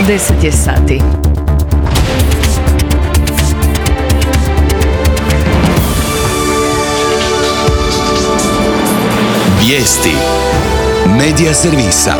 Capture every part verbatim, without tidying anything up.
deset je sati. Vijesti Medija servisa.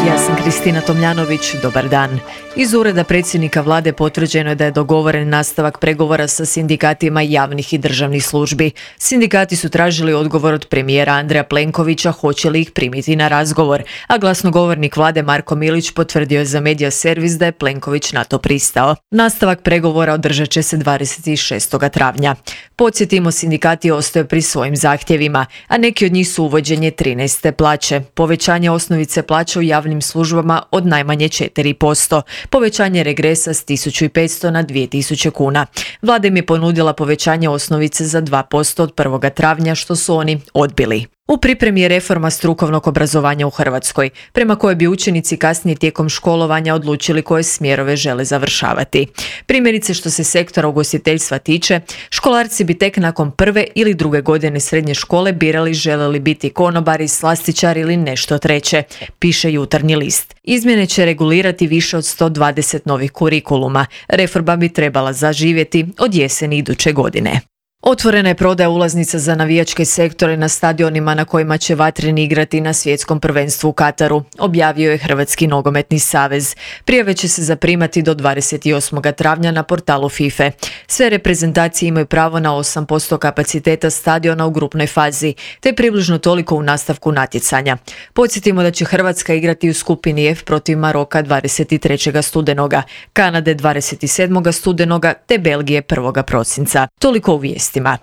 Ja sam Kristina Tomljanović, dobar dan. Iz ureda predsjednika vlade potvrđeno je da je dogovoren nastavak pregovora sa sindikatima javnih i državnih službi. Sindikati su tražili odgovor od premijera Andreja Plenkovića hoće li ih primiti na razgovor, a glasnogovornik vlade Marko Milić potvrdio je za Medija servis da je Plenković na to pristao. Nastavak pregovora održat će se dvadeset šestog travnja. Podsjetimo, sindikati ostaju pri svojim zahtjevima, a neki od njih su uvođenje trinaeste plaće, povećanje osnovice plaće u javnim službama od najmanje četiri posto, povećanje regresa s tisuću petsto na dvije tisuće kuna. Vlada im je ponudila povećanje osnovice za dva posto od prvog travnja, što su oni odbili. U pripremi je reforma strukovnog obrazovanja u Hrvatskoj, prema kojoj bi učenici kasnije tijekom školovanja odlučili koje smjerove žele završavati. Primjerice, što se sektora ugostiteljstva tiče, školarci bi tek nakon prve ili druge godine srednje škole birali žele li biti konobari, slastičari ili nešto treće, piše Jutarnji list. Izmjene će regulirati više od sto dvadeset novih kurikuluma. Reforma bi trebala zaživjeti od jeseni iduće godine. Otvorena je prodaja ulaznica za navijačke sektore na stadionima na kojima će Vatreni igrati na svjetskom prvenstvu u Kataru, objavio je Hrvatski nogometni savez. Prijave će se zaprimati do dvadeset osmog travnja na portalu FIFA. Sve reprezentacije imaju pravo na osam posto kapaciteta stadiona u grupnoj fazi, te približno toliko u nastavku natjecanja. Podsjetimo da će Hrvatska igrati u skupini F protiv Maroka dvadeset trećeg studenoga, Kanade dvadeset sedmog studenoga te Belgije prvog prosinca. Toliko u vijestima.